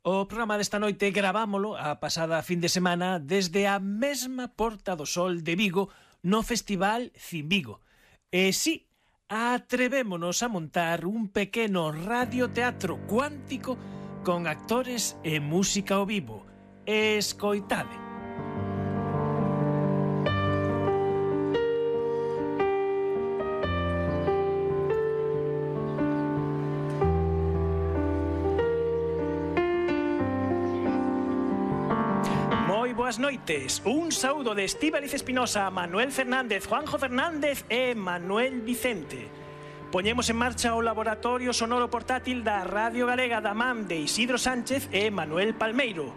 O programa desta noite gravámolo a pasada fin de semana desde a mesma Porta do Sol de Vigo no Festival Cinvigo. E si, atrevémonos a montar un pequeno radioteatro cuántico con actores e música ao vivo. Escoitade. Boas noites, un saúdo de Estíbaliz Espinosa, Manuel Fernández, Juanjo Fernández e Manuel Vicente. Poñemos en marcha o laboratorio sonoro portátil da Radio Galega da man de Isidro Sánchez e Manuel Palmeiro.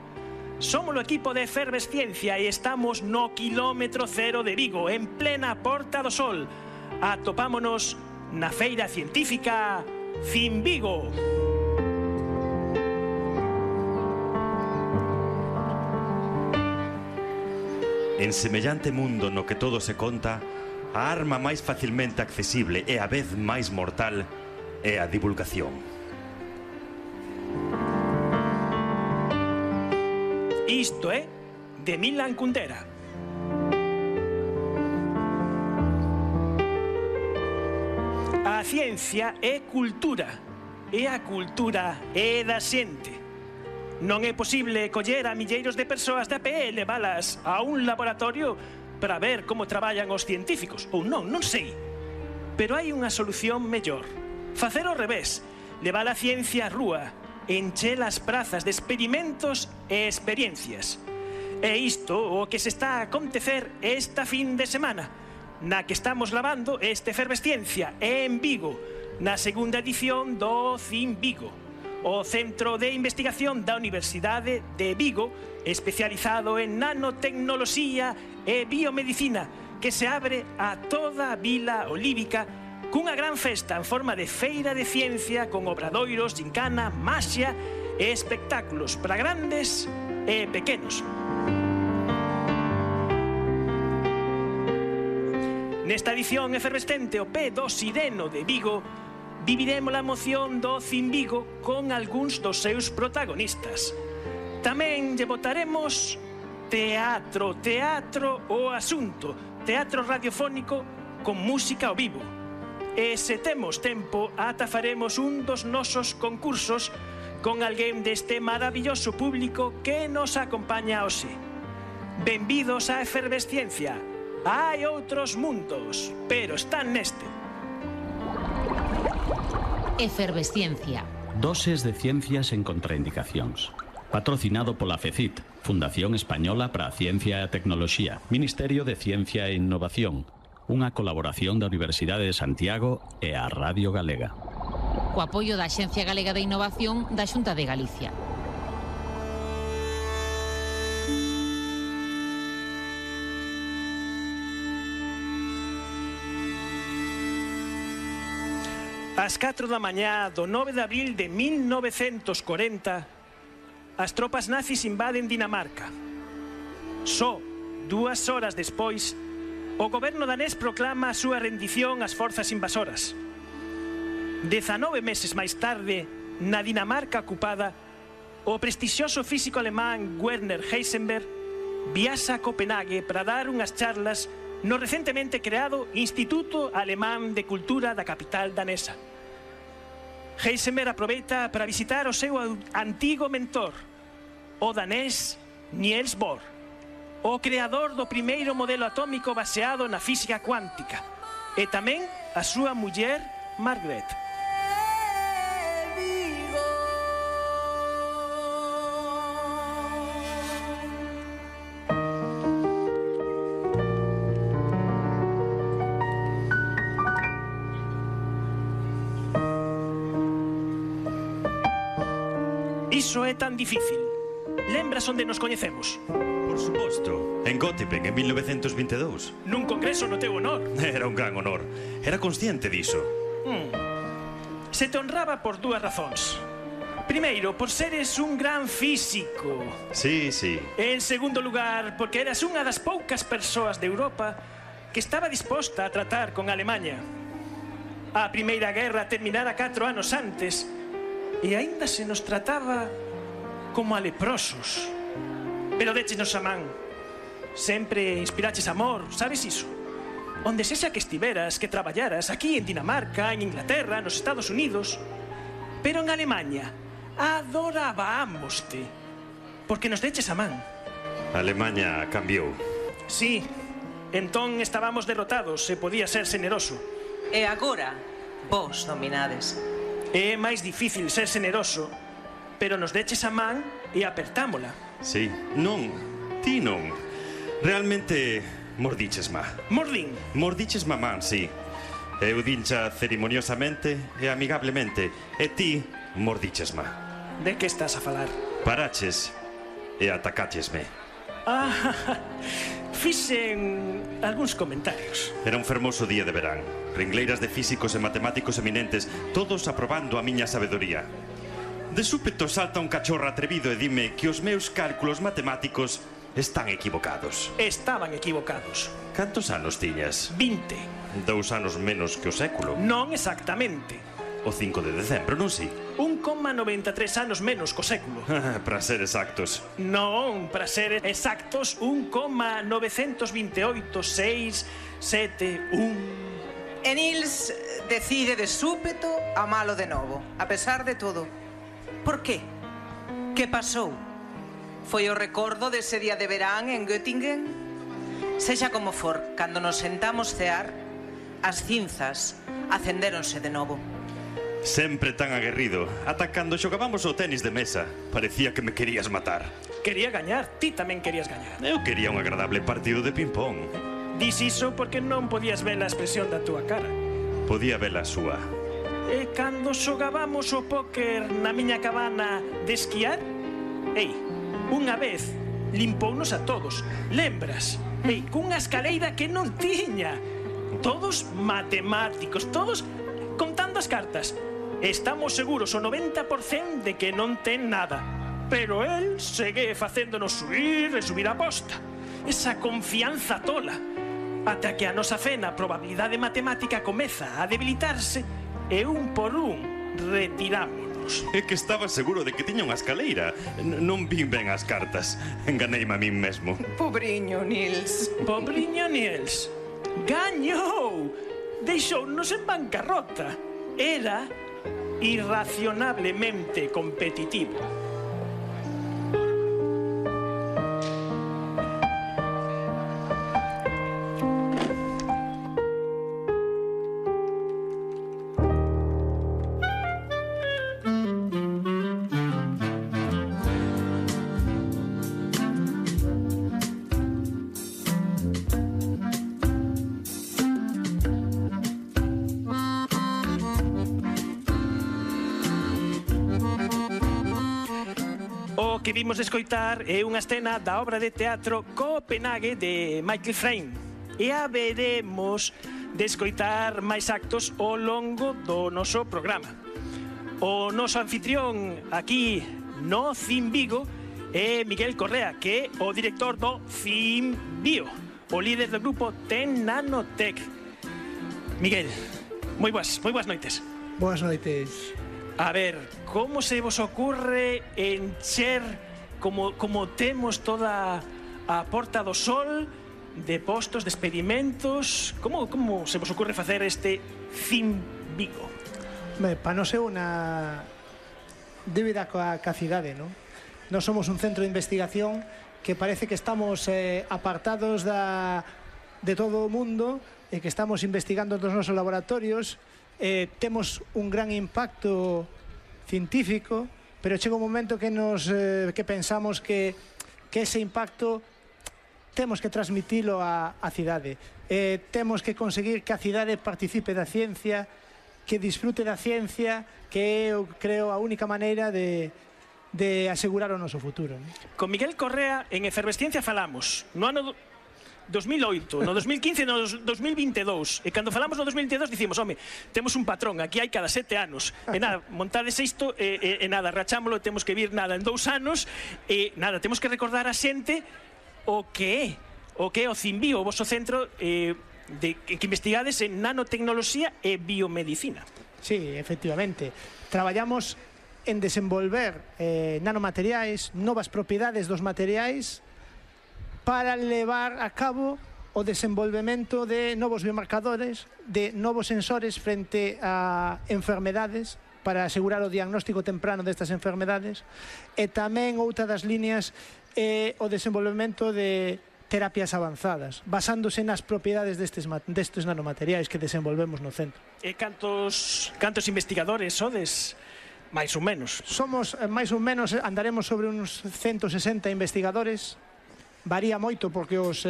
Somos o equipo de Efervesciencia e estamos no quilómetro cero de Vigo, en plena Porta do Sol. Atopámonos na feira científica Cinvigo. En semellante mundo no que todo se conta, a arma máis facilmente accesible e a vez máis mortal é a divulgación. Isto é de Milan Kundera. A ciencia é cultura, e a cultura é da xente. Non é posible coller a milleiros de persoas de a pé e leválas a un laboratorio para ver como traballan os científicos. Ou non sei. Pero hai unha solución mellor. Facer ao revés. Levar a ciencia á rúa. Encher as prazas de experimentos e experiencias. É isto o que se está a acontecer esta fin de semana, na que estamos lavando esta Efervesciencia en Vigo, na segunda edición do Cinvigo. O Centro de Investigación da Universidade de Vigo, especializado en nanotecnoloxía e biomedicina, que se abre a toda a vila olívica cunha gran festa en forma de feira de ciencia con obradoiros, gincana, maxia e espectáculos para grandes e pequenos. Nesta edición efervescente o pé do Sireno de Vigo, viviremos a emoción do Cinvigo con algúns dos seus protagonistas. Tamén lle botaremos teatro o asunto, teatro radiofónico con música ao vivo. E se temos tempo, ata faremos un dos nosos concursos con alguén deste maravilloso público que nos acompaña hoxe. Benvidos á Efervesciencia. Hai outros mundos, pero están neste. Efervesciencia. Doses de ciencias en contraindicacións. Patrocinado pola FECIT, Fundación Española para a Ciencia e a Tecnoloxía, Ministerio de Ciencia e Innovación, unha colaboración da Universidade de Santiago e a Radio Galega. Co apoio da Axencia Galega de Innovación da Xunta de Galicia. Ás 4 da mañá do 9 de abril de 1940, as tropas nazis invaden Dinamarca. Só 2 horas despois, o goberno danés proclama a súa rendición ás forzas invasoras. 19 meses máis tarde, na Dinamarca ocupada, o prestixioso físico alemán Werner Heisenberg viaxa a Copenhague para dar unhas charlas no recentemente creado Instituto Alemán de Cultura da capital danesa. Heisenberg aproveita para visitar o seu antigo mentor, o danés Niels Bohr, o creador do primeiro modelo atómico baseado na física cuántica, e tamén a súa muller Margaret. Iso é tan difícil. Lembras onde nos coñecemos? Por suposto, en Göttingen en 1922. Nun congreso no teu honor. Era un gran honor. Era consciente diso. Se te honraba por 2 razóns. Primeiro, por seres un gran físico. Sí. En segundo lugar, porque eras unha das poucas persoas de Europa que estaba disposta a tratar con Alemanha. A Primeira Guerra terminara 4 anos antes e aínda se nos trataba como a leprosos. Pero déchenos a man. Sempre inspiraches amor, sabes iso? Onde sexa que estiveras, que traballaras, aquí en Dinamarca, en Inglaterra, nos Estados Unidos. Pero en Alemanha adorábamoste, porque nos deches a man. Alemanha cambiou. Sí, entón estábamos derrotados e podía ser xeneroso. E agora, vos dominades. É máis difícil ser xeneroso, pero nos deches a man e apertámola. Sí, non, ti non. Realmente mordiches má. Mordín. Mordiches mamán, sí. Eu dincha ceremoniosamente e amigablemente. E ti mordiches má. De que estás a falar? Paraches e atacachesme. Fixen algúns comentarios. Era un fermoso día de verán. Ringleiras de físicos e matemáticos eminentes, todos aprobando a miña sabedoría. De súpeto salta un cachorro atrevido e dime que os meus cálculos matemáticos están equivocados. Estaban equivocados. Cantos anos tiñas? 20. 2 anos menos que o século. Non exactamente. O 5 de decembro, non si? 1,93 anos menos co século. Para ser exactos. Non, para ser exactos, 1,928,671. E Nils decide de súpeto amalo de novo, a pesar de todo. Por qué? Que pasou? Foi o recordo dese día de verán en Göttingen? Sexa como for, cando nos sentamos cear, as cinzas acendéronse de novo. Sempre tan aguerrido. Ata cando xogábamos o tenis de mesa, parecía que me querías matar. Quería gañar, ti tamén querías gañar. Eu quería un agradable partido de ping-pong. Dis iso porque non podías ver a expresión da túa cara. Podía ver a súa. E cando xogábamos o póker na miña cabana de esquiar, ei, unha vez limpounos a todos, lembras? Ei, cunha escaleira que non tiña. Todos matemáticos, todos contando as cartas. Estamos seguros o 90% de que non ten nada. Pero el segue facéndonos subir e subir a posta. Esa confianza tola. Ata que a nosa fe na probabilidade matemática comeza a debilitarse e un por un retirámonos. É que estaba seguro de que tiña unha escaleira. Non vin ben as cartas. Enganeime a min mesmo. Pobriño Nils. Pobriño Nils. Gañou! Deixounos en bancarrota. Era irracionablemente competitivo. O que vimos escoitar é unha escena da obra de teatro Copenhague de Michael Frayn. E a veremos de escoitar máis actos ao longo do noso programa. O noso anfitrión aquí no Cim Vigo é Miguel Correa, que é o director do Cim Bio, o líder do grupo Ten Nanotech. Miguel, moi boas noites. Boas noites. A ver, como se vos ocurre encher como temos toda a Porta do Sol de postos, de experimentos? Como se vos ocurre facer este Cim Vigo? Para nos é unha débeda coa cidade, non? Nós somos un centro de investigación que parece que estamos apartados de todo o mundo e que estamos investigando nos nosos laboratorios. Temos un gran impacto científico, pero chega un momento que pensamos que ese impacto temos que transmitilo á cidade. Temos que conseguir que a cidade participe da ciencia, que disfrute da ciencia, que eu creo a única maneira de asegurar o noso futuro. Con Miguel Correa en Efervesciencia falamos no ano 2008, no 2015 e no 2022. E cando falamos no 2022 dicimos, home, temos un patrón, aquí hai cada 7 anos. E nada, montades isto e nada, rachámolo, temos que vir nada en 2 anos e nada, temos que recordar a xente o que é o Cim Bio, o vosso centro que investigades en nanotecnoloxía e biomedicina. Sí, efectivamente. Traballamos en desenvolver nanomateriais, novas propiedades dos materiais para levar a cabo o desenvolvemento de novos biomarcadores, de novos sensores frente a enfermedades para asegurar o diagnóstico temprano destas enfermedades, e tamén outra das líneas é o desenvolvemento de terapias avanzadas, basándose nas propiedades destes nanomateriais que desenvolvemos no centro. E cantos investigadores sodes? Mais ou menos. Somos, máis ou menos, andaremos sobre uns 160 investigadores. Varía moito porque os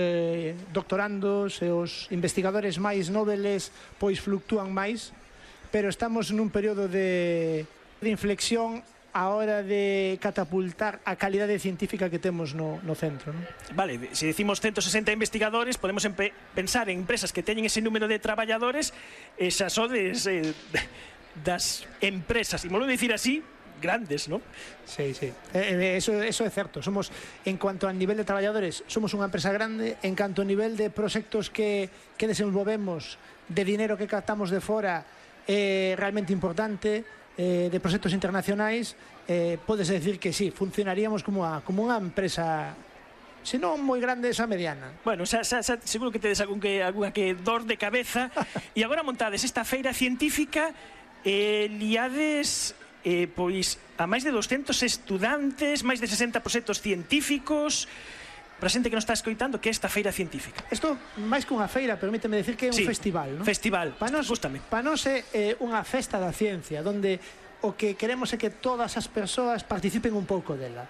doctorandos e os investigadores máis noveles pois fluctúan máis, pero estamos nun período de inflexión a hora de catapultar a calidade científica que temos no centro, non? Vale, se decimos 160 investigadores, podemos pensar en empresas que teñen ese número de traballadores, esas sodes das empresas, e molo dicir así, grandes, non? Sí, sí. Eso é certo. Somos, en cuanto a nivel de traballadores, somos unha empresa grande. En canto a nivel de proxectos que desenvolvemos, de dinero que captamos de fora, realmente importante, de proxectos internacionais, pódese decir que sí, funcionaríamos como unha empresa, se non moi grande, esa mediana. Bueno, seguro que tedes algunha que dor de cabeza. E agora montades esta feira científica, liades pois a máis de 200 estudantes, máis de 60 proxectos científicos. Para a xente que nos está escoitando, que é esta feira científica? Isto, máis que unha feira, permíteme decir que é un festival, non? Festival, gústame. Para nós é unha festa da ciencia, onde o que queremos é que todas as persoas participen un pouco dela.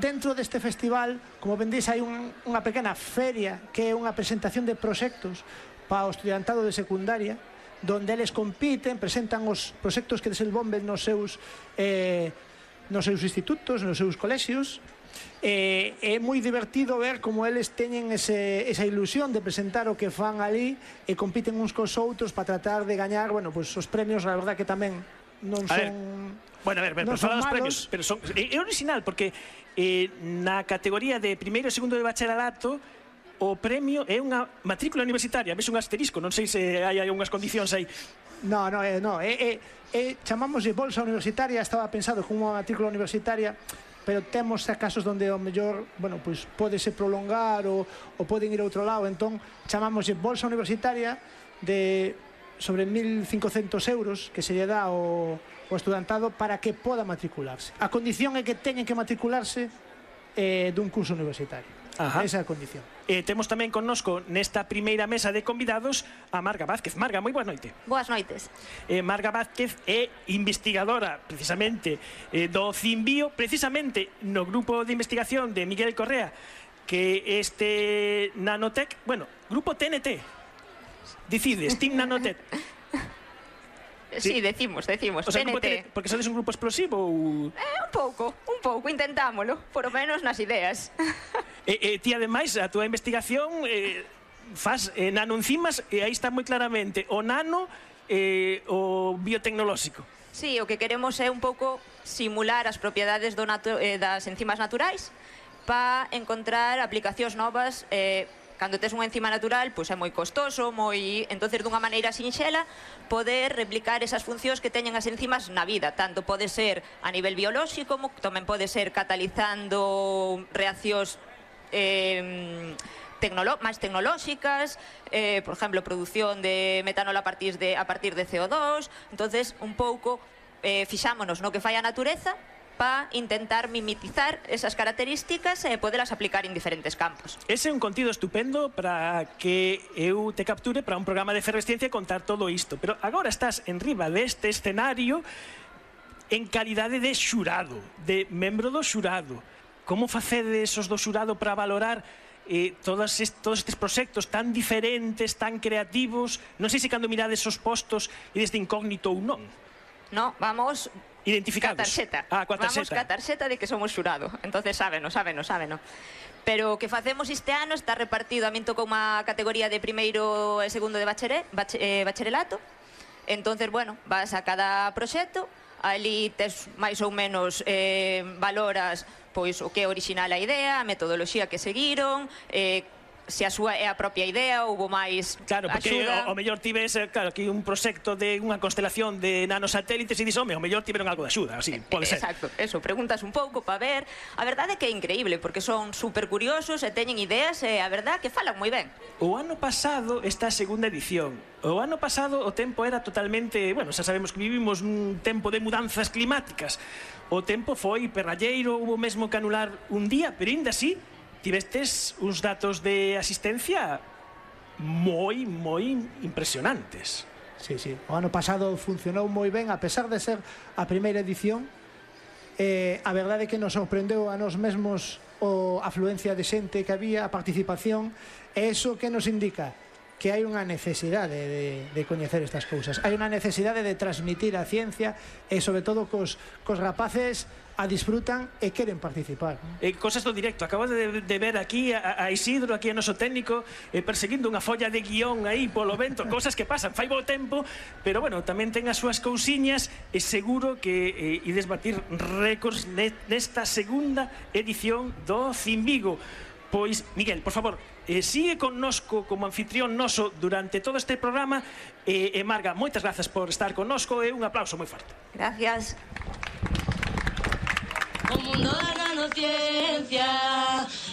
Dentro deste festival, como vendéis, hai unha pequena feria que é unha presentación de proxectos para o estudiantado de secundaria, donde eles compiten, presentan os proxectos que desenvolven nos seus institutos, nos seus colexios. É moi divertido ver como eles teñen esa ilusión de presentar o que fan ali e compiten uns cos outros para tratar de gañar, bueno, pues os premios, a verdad que tamén non son... Bueno, a ver, pero fala dos premios, pero é original, porque na categoría de primeiro e segundo de bacharelato, o premio é unha matrícula universitaria. Ves un asterisco, non sei se hai unhas condicións aí. No, chamamos de bolsa universitaria, estaba pensado como unha matrícula universitaria, pero temos casos onde o mellor, bueno, pois pódese prolongar ou poden ir a outro lado, entón chamamos de bolsa universitaria de sobre 1.500 euros que se lle dá ao estudantado para que poda matricularse. A condición é que teñen que matricularse dun curso universitario. Esa é a condición. Temos tamén connosco nesta primeira mesa de convidados a Marga Vázquez. Marga, moi boa noite. Boas noites. Marga Vázquez é investigadora precisamente do CIMBio, precisamente no grupo de investigación de Miguel Correa, que este Nanotec, bueno, grupo TNT, decides, Team Nanotec. Sí, decimos, o sea, TNT. Porque sodes un grupo explosivo ou... Un pouco, intentámolo, por lo menos nas ideas. Ti, ademais, a túa investigación faz nanoenzimas, e aí está moi claramente o nano o biotecnolóxico. Sí, o que queremos é un pouco simular as propiedades das enzimas naturais para encontrar aplicacións novas. Cando tes unha enzima natural, pois é moi costoso, entonces dunha maneira sinxela poder replicar esas funcións que teñen as enzimas na vida. Tanto pode ser a nivel biolóxico, como tamén pode ser catalizando reaccións máis tecnolóxicas, por exemplo, produción de metanol a partir de CO2. Entonces, un pouco fixámonos no que fai a natureza para intentar mimetizar esas características e podelas aplicar en diferentes campos. Ese é un contido estupendo para que eu te capture para un programa de efervesciencia e contar todo isto. Pero agora estás en riba deste escenario en calidade de xurado, de membro do xurado. Como facedes os do xurado para valorar todos estes proxectos tan diferentes, tan creativos? Non sei se cando mirades os postos e desde incógnito ou non. No, vamos... Identificados. Vamos ca tarxeta de que somos xurado. Entonces sábeno. Pero o que facemos este ano está repartido. A min tocou unha categoría de primeiro e segundo de bacharelato. Entonces, bueno, vas a cada proxecto, ali tes máis ou menos valoras pois o que é original a idea, a metodoloxía que seguiron, se a súa é a propia idea, houbo máis Claro, porque axuda. o mellor tives, claro, aquí un proxecto de unha constelación de nanosatélites e dis, home, o mellor tiveron algo de axuda, así, pode ser. Exacto, eso, preguntas un pouco para ver. A verdade é que é increíble, porque son super curiosos e teñen ideas e a verdade que falan moi ben. O ano pasado, esta segunda edición, o ano pasado o tempo era totalmente, bueno, xa sabemos que vivimos nun tempo de mudanzas climáticas. O tempo foi perralleiro, hubo mesmo que anular un día, pero ainda así, tivestes uns datos de asistencia moi impresionantes. Sí, sí. O ano pasado funcionou moi ben, a pesar de ser a primeira edición. A verdade é que nos sorprendeu a nós mesmos a afluencia de xente que había, a participación, e iso que nos indica que hai unha necesidade de coñecer estas cousas. Hai unha necesidade de transmitir a ciencia e, sobre todo, cos rapaces a disfrutan e queren participar. Cosas do directo. Acabo de ver aquí a Isidro, aquí a noso técnico, perseguindo unha folla de guión aí polo vento, cosas que pasan, fai bo tempo, pero, bueno, tamén ten as súas cousiñas e seguro que ides batir récords nesta segunda edición do Cimbigo. Pois, Miguel, por favor, sigue connosco como anfitrión noso durante todo este programa e Marga, moitas grazas por estar connosco e un aplauso moi forte. Gracias. O mundo da nanociencia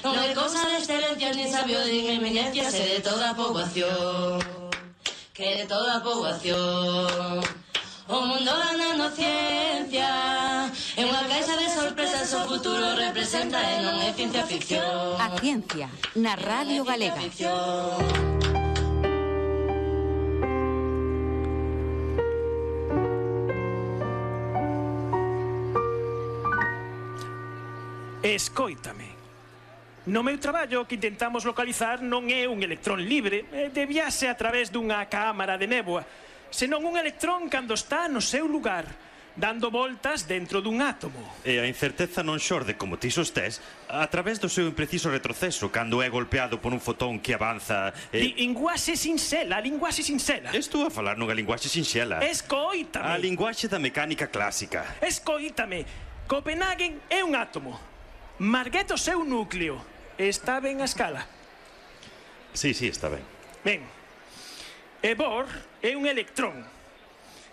non é cousa de excelencia ni sabio de eminencias, é de toda a poboación, que de toda a poboación. O mundo da nanociencia é unha caixa de sorpresas, o futuro representa e non é ciencia ficción. A ciencia, na Radio Galega. Escoítame. No meu traballo, que intentamos localizar non é un electrón libre, de viaxe a través dunha cámara de néboa, senón un electrón cando está no seu lugar, dando voltas dentro dun átomo. E a incerteza non xorde, como ti sostés, a través do seu impreciso retroceso cando é golpeado por un fotón que avanza Linguaxe sinxela, linguaxe sinxela. Estou a falar nunha linguaxe sinxela. Escoítame. A linguaxe da mecánica clásica. Escoítame. Copenhagen é un átomo. Marguet o seu núcleo. Está ben a escala? Sí, está ben. Ben. E Bohr é un electrón.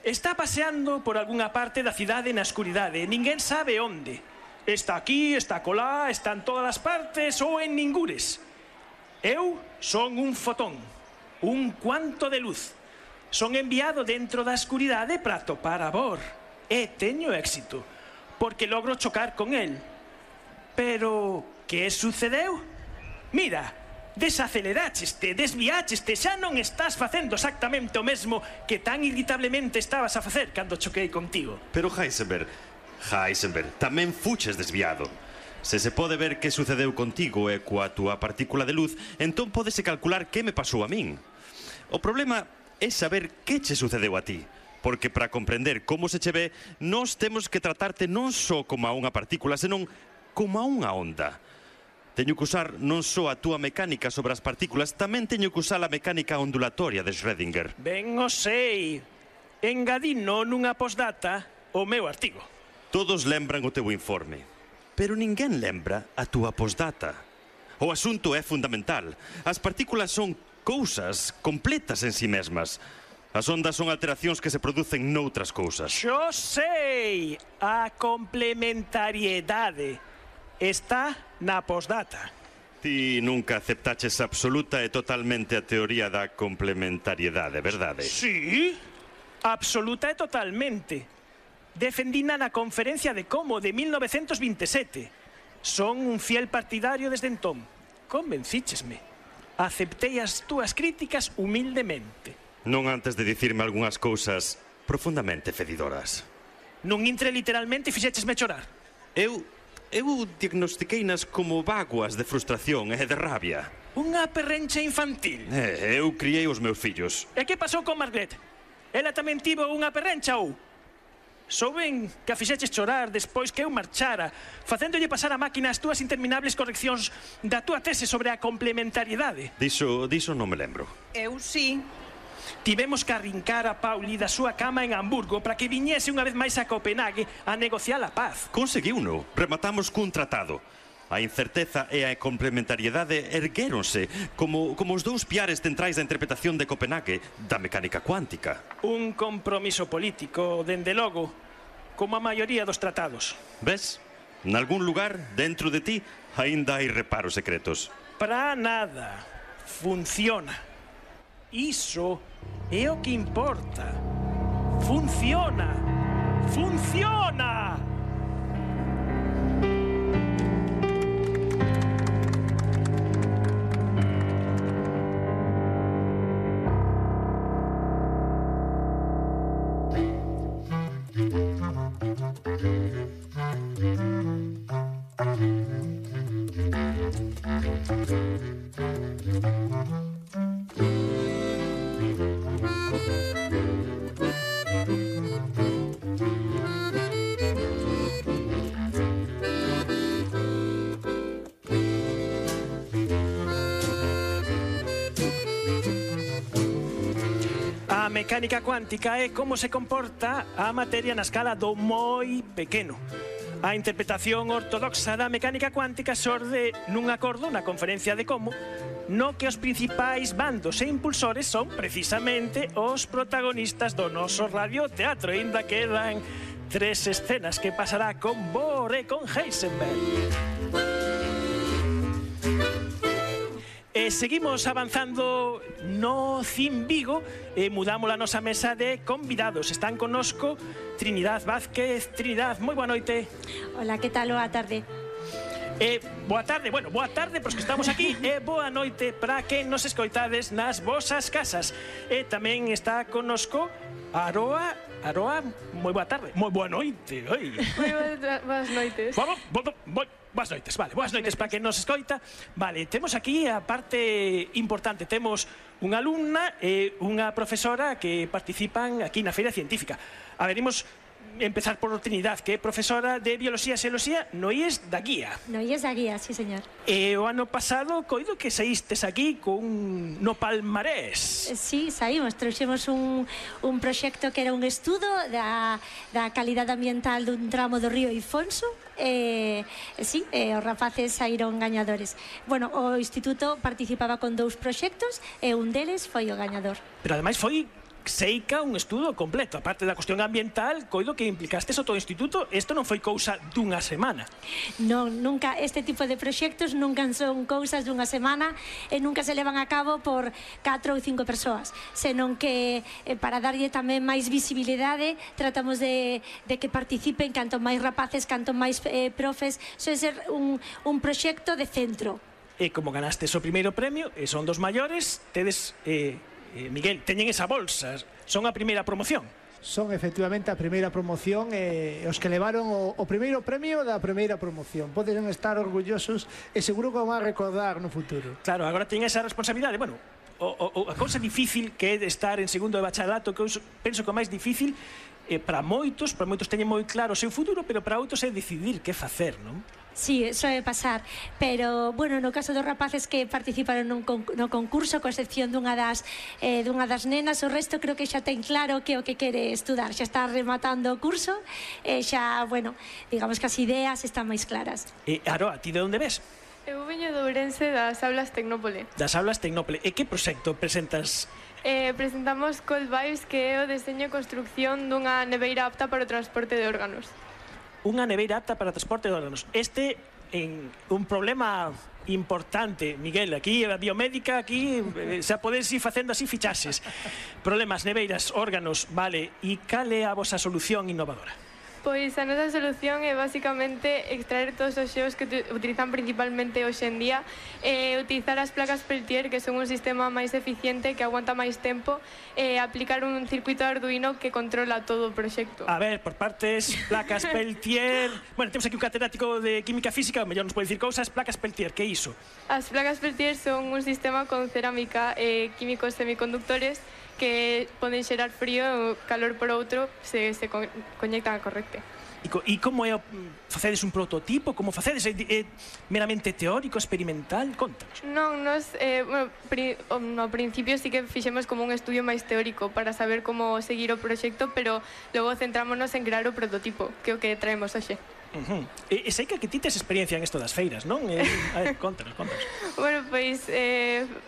Está paseando por algunha parte da cidade na escuridade. Ninguén sabe onde. Está aquí, está colá, está en todas as partes ou en ningures. Eu son un fotón. Un cuanto de luz. Son enviado dentro da escuridade para atopar a Bohr. E teño éxito. Porque logro chocar con el. Pero, que sucedeu? Mira, desaceleraxeste, desviaxeste, xa non estás facendo exactamente o mesmo que tan irritablemente estabas a facer cando choquei contigo. Pero Heisenberg, tamén fuches desviado. Se se pode ver que sucedeu contigo e coa túa partícula de luz, entón pódese calcular que me pasou a min. O problema é saber que che sucedeu a ti. Porque para comprender como se che ve, nós temos que tratarte non só como a unha partícula, senón como a unha onda. Teño que usar non só a túa mecánica sobre as partículas, tamén teño que usar a mecánica ondulatoria de Schrödinger. Ben o sei. Engadino nunha postdata o meu artigo. Todos lembran o teu informe, pero ninguén lembra a túa postdata. O asunto é fundamental. As partículas son cousas completas en si mesmas. As ondas son alteracións que se producen noutras cousas. Xo sei. A complementariedade está na postdata. Ti nunca aceptaches absoluta e totalmente a teoría da complementariedade, verdade? Sí, absoluta e totalmente. Defendina na conferencia de Como de 1927. Son un fiel partidario desde entón. Convencíchesme. Aceptei as túas críticas humildemente. Non antes de dicirme algunhas cousas profundamente fedidoras. Non intre literalmente e fixéchesme chorar. Eu diagnostiqueinas como vaguas de frustración e de rabia. Unha perrencha infantil. Eu criei os meus fillos. E que pasou con Margaret? Ela tamén tivo unha perrencha ou? Souben que a fixeches chorar despois que eu marchara, facéndolle pasar a máquina as túas interminables correccións da túa tese sobre a complementariedade. Diso non me lembro. Eu sí. Tivemos que arrincar a Pauli da súa cama en Hamburgo para que viñese unha vez máis a Copenhague a negociar a paz. Conseguiuno. Rematamos cun tratado. A incerteza e a complementariedade erguéronse como os dous piares centrais da interpretación de Copenhague da mecánica cuántica. Un compromiso político, dende logo, como a maioría dos tratados. Ves? Nalgún lugar, dentro de ti, aínda hai reparos secretos. Para nada. Funciona. Iso é o que importa. Funciona. Funciona! A mecánica cuántica é como se comporta a materia na escala do moi pequeno. A interpretación ortodoxa da mecánica cuántica xorde nun acordo na conferencia de Como, no que os principais bandos e impulsores son precisamente os protagonistas do noso radioteatro. Ainda quedan 3 escenas que pasará con Bohr e con Heisenberg. E seguimos avanzando no Cin Vigo e mudamos a nosa mesa de convidados. Están connosco Trinidad Vázquez. Trinidad, moi boa noite. Hola, que tal? Boa tarde. Boa tarde, bueno, boa tarde pros que estamos aquí e boa noite para que nos escoitades nas vosas casas. E tamén está connosco Aroa. Aroa, moi boa tarde, moi boa noite. Moi boas noites. Boas noites, vale, boas noites para que nos escoita. Vale, temos aquí a parte importante. Temos unha alumna e unha profesora que participan aquí na Feira Científica. A ver, imos empezar por Trinidad, que é profesora de Bioloxía e Xeoloxía no IES da Guía. No IES da Guía, sí, señor. E o ano pasado, coido que saístes aquí no palmarés. Sí, saímos, trouxemos un proxecto que era un estudo da calidade ambiental dun tramo do río Ifonso. Sí, os rapaces saíron gañadores. Bueno, o instituto participaba con 2 proxectos e un deles foi o gañador. Pero ademais foi seica un estudo completo. A parte da cuestión ambiental, coido que implicastes o todo o instituto. Isto non foi cousa dunha semana. Non, nunca, este tipo de proxectos nunca son cousas dunha semana e nunca se levan a cabo por 4 ou 5 persoas, senón que para darlle tamén máis visibilidade tratamos de que participen canto máis rapaces, canto máis profes. Soe ser un proxecto de centro. E como ganastes o primeiro premio e son dos maiores, tedes... Miguel, teñen esa bolsa, son a primeira promoción. Son efectivamente a primeira promoción e os que levaron o primeiro premio da primeira promoción. Poden estar orgullosos e seguro que o van a recordar no futuro. Claro, agora teñen esa responsabilidade. Bueno, a cousa difícil que é de estar en segundo de bacharato, que eu penso que o máis difícil para moitos teñen moi claro o seu futuro, pero para outros é decidir que facer, non? Sí, soe pasar, pero, bueno, no caso dos rapaces que participaron no concurso, co excepción dunha das nenas, o resto creo que xa ten claro que o que quere estudar, xa está rematando o curso, e xa, bueno, digamos que as ideas están máis claras. Aroa, ti de onde ves? Eu veño de Ourense, das Aulas Tecnópole. Das Aulas Tecnópole. E que proxecto presentas? Presentamos Cold Vibes, que é o deseño e construcción dunha neveira apta para o transporte de órganos. Unha neveira apta para o transporte de órganos. Este é un problema importante, Miguel. Aquí, a biomédica, aquí, xa podes ir facendo así fichaxes. Problemas, neveiras, órganos, vale. E cal é a vosa solución innovadora? Pois a nosa solución é basicamente extraer todos os xeos que utilizan principalmente hoxe en día e utilizar as placas Peltier, que son un sistema máis eficiente, que aguanta máis tempo, e aplicar un circuito Arduino que controla todo o proxecto. A ver, por partes, placas Peltier... Bueno, temos aquí un catedrático de Química Física, mellor nos pode dicir cousas. Placas Peltier, que é iso? As placas Peltier son un sistema con cerámica e químicos semiconductores que poden xerar frío ou calor por outro se conectan a correcte. E como é? Facedes un prototipo? Como facedes? É meramente teórico, experimental? Contanos. Non, nos, no principio sí que fixemos como un estudio máis teórico para saber como seguir o proxecto, pero logo centrámonos en crear o prototipo, que é o que traemos hoxe. E sei que ti tes experiencia en isto das feiras, non? A ver, contanos. Bueno, pois,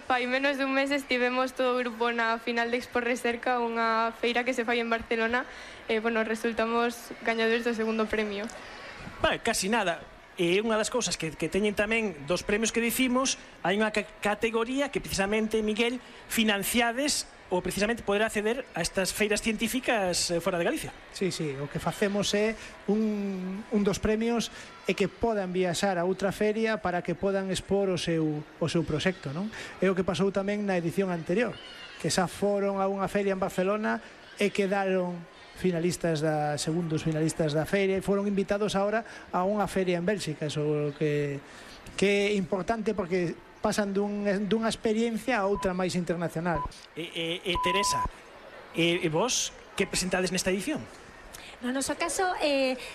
fai menos dun mes estivemos todo o grupo na final de Expo Recerca, unha feira que se fai en Barcelona, e, bueno, resultamos gañadores do segundo premio. Vale, casi nada. E unha das cousas que teñen tamén dos premios que dicimos, hai unha categoría que precisamente, Miguel, financiades ou precisamente poder acceder a estas feiras científicas fora de Galicia. Sí, o que facemos é un dos premios é que podan viaxar a outra feria para que podan expor o seu proxecto, non? É o que pasou tamén na edición anterior, que xa foron a unha feria en Barcelona e quedaron segundos finalistas da feira e foron invitados ahora a unha feria en Bélxica. Eso que é importante porque pasan dunha experiencia a outra máis internacional. Teresa, vos que presentades nesta edición? No noso caso,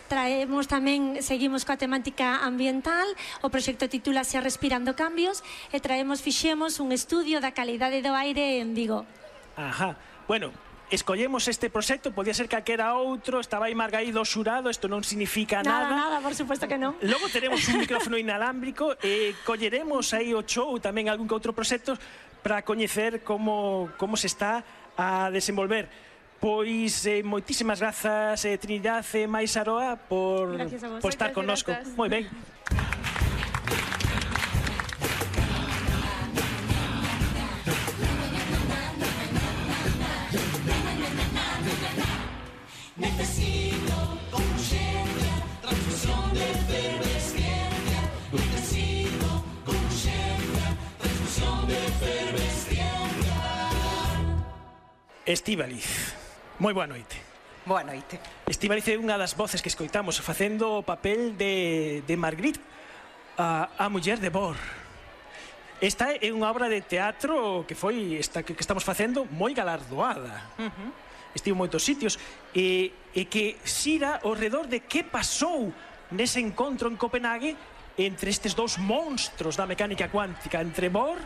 traemos tamén, seguimos coa temática ambiental, o proxecto titúlase Respirando Cambios, e fixemos un estudio da calidade do aire en Vigo. Ajá, bueno, escollemos este proxecto, podía ser calquera outro, estaba aí Margaído xurado, isto non significa nada. Nada, por suposto que non. Logo teremos un micrófono inalámbrico e colleremos aí o show, tamén algún que outro proxecto, para coñecer como se está a desenvolver. Pois moitísimas grazas, Trinidad e Mais Aroa, por estar connosco. Moi ben. Necesito con urgencia transfusión de efervescencia. Necesito con urgencia transfusión de efervescencia. Estíbaliz, moi boa noite. Boa noite. Estíbaliz é unha das voces que escoitamos facendo o papel de Marguerite, a muller de Bor. Esta é unha obra de teatro que foi esta que estamos facendo moi galardoada. Estivo en moitos sitios e que xira ao redor de que pasou nese encontro en Copenhague entre estes dous monstros da mecánica cuántica, entre Bohr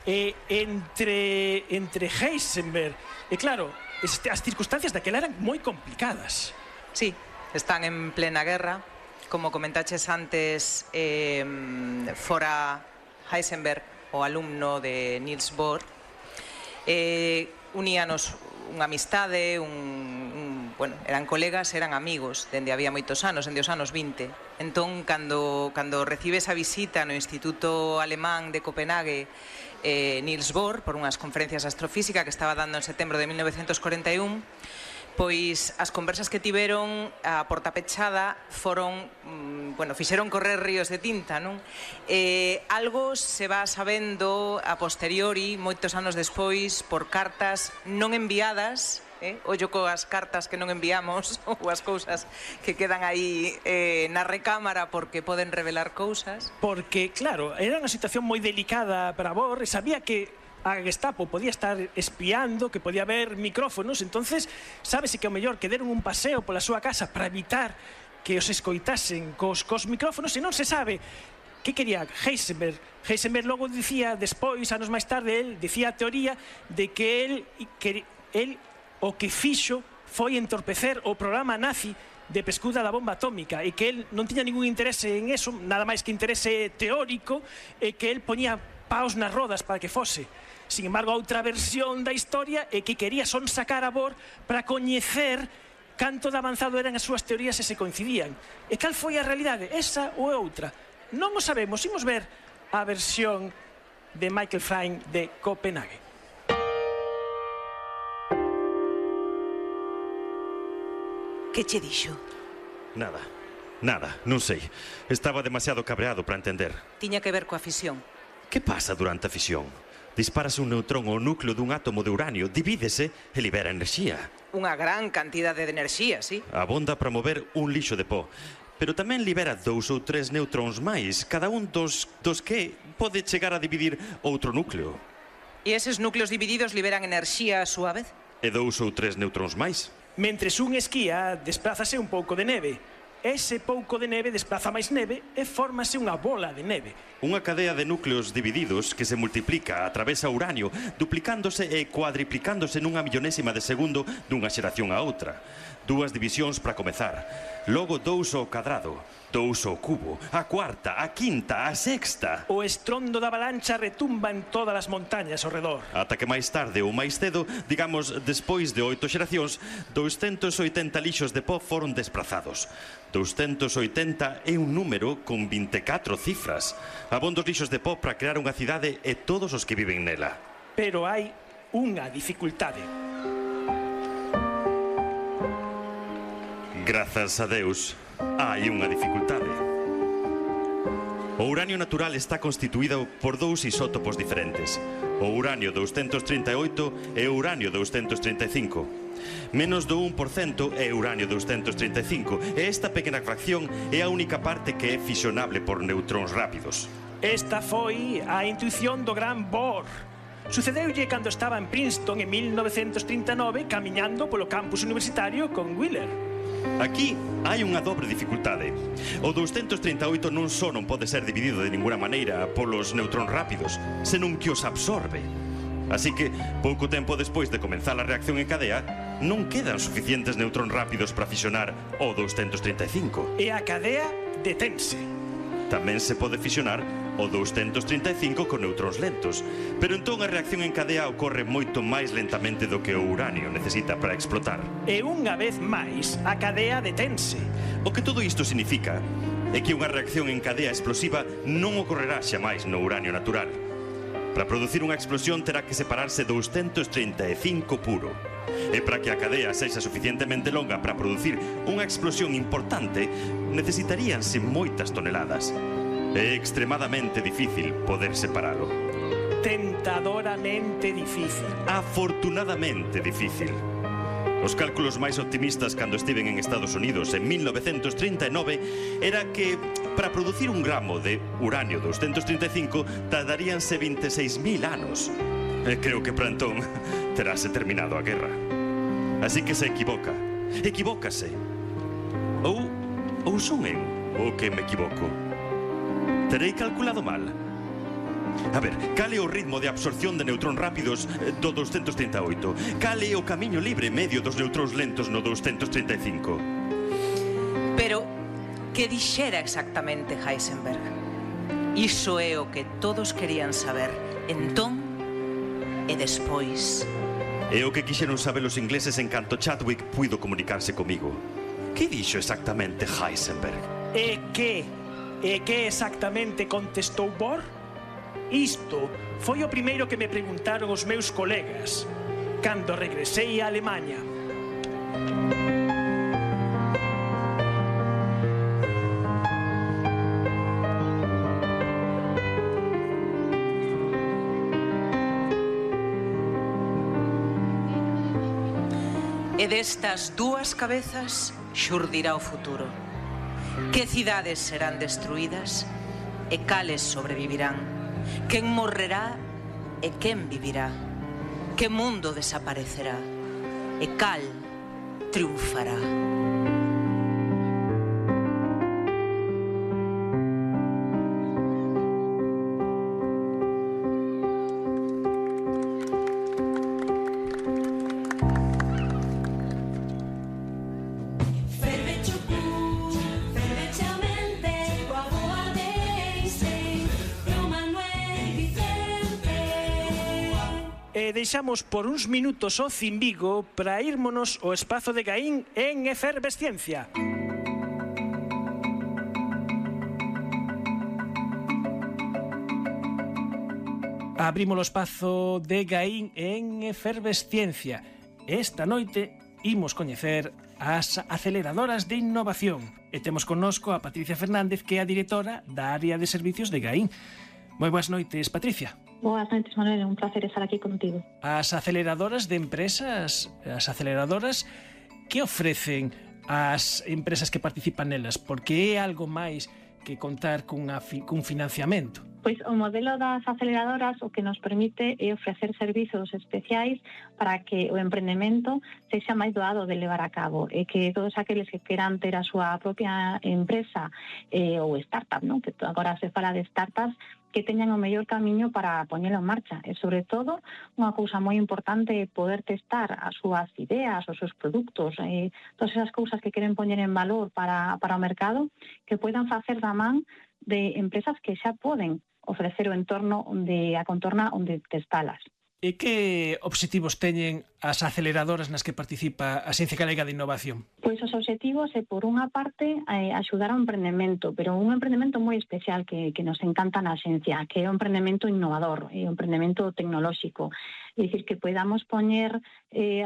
e entre Heisenberg. E claro, as circunstancias daquela eran moi complicadas. Sí, están en plena guerra. Como comentaches antes, fora Heisenberg, o alumno de Niels Bohr, uníanos unha amistade, bueno, eran colegas, eran amigos dende había moitos anos, dende os anos 20. Entón, cando recibe esa visita no Instituto Alemán de Copenhague, Niels Bohr, por unhas conferencias de astrofísica que estaba dando en setembro de 1941, pois as conversas que tiveron a porta pechada foron, bueno, fixeron correr ríos de tinta, non? Algo se va sabendo a posteriori, moitos anos despois, por cartas non enviadas, ollo coas cartas que non enviamos, ou as cousas que quedan aí na recámara porque poden revelar cousas. Porque, claro, era unha situación moi delicada para Bohr, e sabía que a Gestapo podía estar espiando, que podía haber micrófonos, entonces sábese que o mellor que deron un paseo pola súa casa para evitar que os escoitasen cos micrófonos, e non se sabe que quería Heisenberg. Heisenberg logo dicía, despois, anos máis tarde, el dicía a teoría de que el o que fixo foi entorpecer o programa nazi de pescuda da bomba atómica, e que el non tiña ningún interese en eso, nada máis que interese teórico, e que el poñía paus nas rodas para que fose. Sin embargo, a outra versión da historia é que quería son sacar a Bohr para coñecer canto de avanzado eran as súas teorías e se coincidían. E cal foi a realidade? Esa ou outra? Non o sabemos. Imos ver a versión de Michael Frayn de Copenhague. Que che dixo? Nada, non sei. Estaba demasiado cabreado para entender. Tiña que ver coa fisión. Que pasa durante a fisión? Dispárase un neutrón ao núcleo dun átomo de uranio, divídese e libera enerxía. Unha gran cantidade de enerxía, sí. Abonda para mover un lixo de pó. Pero tamén libera 2 ou 3 neutróns máis, cada un dos que pode chegar a dividir outro núcleo. E eses núcleos divididos liberan enerxía a súa vez? E 2 ou 3 neutróns máis. Mentres un esquía, desplázase un pouco de neve. Ese pouco de neve desplaza máis neve e fórmase unha bola de neve. Unha cadea de núcleos divididos que se multiplica, atravesa uranio, duplicándose e cuadriplicándose nunha millonésima de segundo dunha xeración a outra. 2 divisións para comezar, logo 2 ao cadrado, 2 ao cubo, a cuarta, a quinta, a sexta. O estrondo da avalancha retumba en todas as montañas ao redor. Ata que máis tarde ou máis cedo, digamos, despois de 8 xeracións, 280 lixos de pó foron desprazados. 280 é un número con 24 cifras. Abondos lixos de pó para crear unha cidade e todos os que viven nela. Pero hai unha dificultade. Grazas a Deus, hai unha dificultade. O uranio natural está constituído por 2 isótopos diferentes, o uranio 238 e o uranio 235. Menos do 1% é uranio 235, e esta pequena fracción é a única parte que é fisionable por neutróns rápidos. Esta foi a intuición do gran Bohr. Sucedeulle cando estaba en Princeton en 1939 camiñando polo campus universitario con Wheeler. Aquí hai unha dobre dificultade. O 238 non só non pode ser dividido de ninguna maneira polos neutróns rápidos, senón que os absorbe. Así que, pouco tempo despois de comenzar a reacción en cadea, non quedan suficientes neutróns rápidos para fisionar o 235. E a cadea detense. Tamén se pode fisionar o 235 con neutróns lentos, pero entón a reacción en cadea ocorre moito máis lentamente do que o uranio necesita para explotar. E unha vez máis, a cadea detense. O que todo isto significa é que unha reacción en cadea explosiva non ocorrerá xamais no uranio natural. Para producir unha explosión terá que separarse 235 puro. E para que a cadea sexa suficientemente longa para producir unha explosión importante, necesitaríanse moitas toneladas. É extremadamente difícil poder separalo. Tentadoramente difícil. Afortunadamente difícil. Os cálculos máis optimistas cando estiven en Estados Unidos en 1939 era que para producir un gramo de uranio 235 tardaríanse 26.000 anos. Creo que para entón terase terminado a guerra. Así que se equivoca. Equivócase. Ou son eu o que me equivoco? Terei calculado mal. A ver, cal é o ritmo de absorción de neutróns rápidos do 238? Cal é o camiño libre medio dos neutróns lentos no 235? Pero, que dixera exactamente Heisenberg? Iso é o que todos querían saber entón e despois. É o que quixeron saber os ingleses en canto Chadwick puido comunicarse comigo. Que dixo exactamente Heisenberg? E que exactamente contestou Bohr? Isto foi o primeiro que me preguntaron os meus colegas cando regresei a Alemanha. E destas 2 cabezas xurdirá o futuro. Que cidades serán destruídas e cales sobrevivirán? Quen morrerá e quen vivirá? Que mundo desaparecerá e cal triunfará? Deixamos por uns minutos o Cimbigo para írmonos ao espazo de Gaín en efervesciencia. Abrimos o espazo de Gaín en efervesciencia. Esta noite imos coñecer as aceleradoras de innovación. E temos connosco a Patricia Fernández, que é a directora da área de servicios de Gaín. Moi boas noites, Patricia. Boas noites, Manuel, é un placer estar aquí contigo. As aceleradoras de empresas, as aceleradoras, que ofrecen ás empresas que participan nelas? Porque é algo máis que contar cun financiamento. Pois o modelo das aceleradoras o que nos permite é ofrecer servizos especiais para que o emprendemento sexa máis doado de levar a cabo e que todos aqueles que queran ter a súa propia empresa ou startup, non? Que agora se fala de startups, que teñan o mellor camiño para poñelo en marcha. E, sobre todo, unha cousa moi importante é poder testar as súas ideas, os seus produtos, todas esas cousas que queren poñer en valor para o mercado, que poidan facer da man de empresas que xa poden ofrecer o entorno a contorna onde testalas. E que obxectivos teñen as aceleradoras nas que participa a Xencia Galega de Innovación? Pois os obxectivos é, por unha parte, axudar ao emprendemento, pero un emprendemento moi especial que nos encanta na Xencia, que é o emprendemento innovador, o emprendemento tecnolóxico. É dicir, que podamos poñer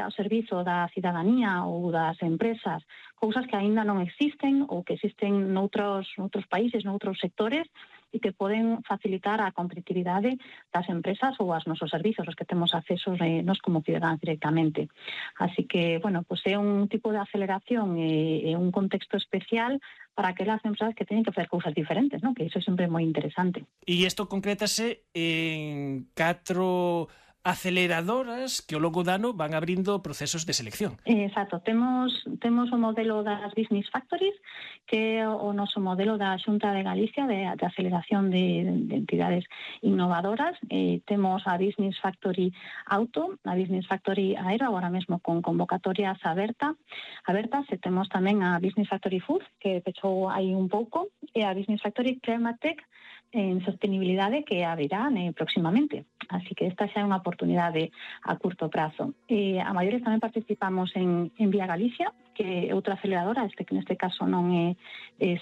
ao servizo da cidadanía ou das empresas cousas que aínda non existen ou que existen noutros países, noutros sectores, e que poden facilitar a competitividade das empresas ou aos nosos servizos, os que temos accesos nos como cidadáns directamente. Así que, bueno, pues é un tipo de aceleración e un contexto especial para aquelas empresas que teñen que facer cousas diferentes, ¿no? Que iso é sempre moi interesante. E isto concrétase en 4 aceleradoras que ao longo do ano van abrindo procesos de selección. Exacto, temos o modelo das Business Factories, que é o noso modelo da Xunta de Galicia de aceleración de entidades innovadoras. Temos a Business Factory Auto, a Business Factory Aero, agora mesmo con convocatorias abertas, e temos tamén a Business Factory Food, que pechou aí un pouco, e a Business Factory Climatech en sostenibilidade, que abrirá próximamente. Así que esta xa é unha oportunidade a curto prazo. A maiores tamén participamos en Vía Galicia, que é outra aceleradora, que neste caso non é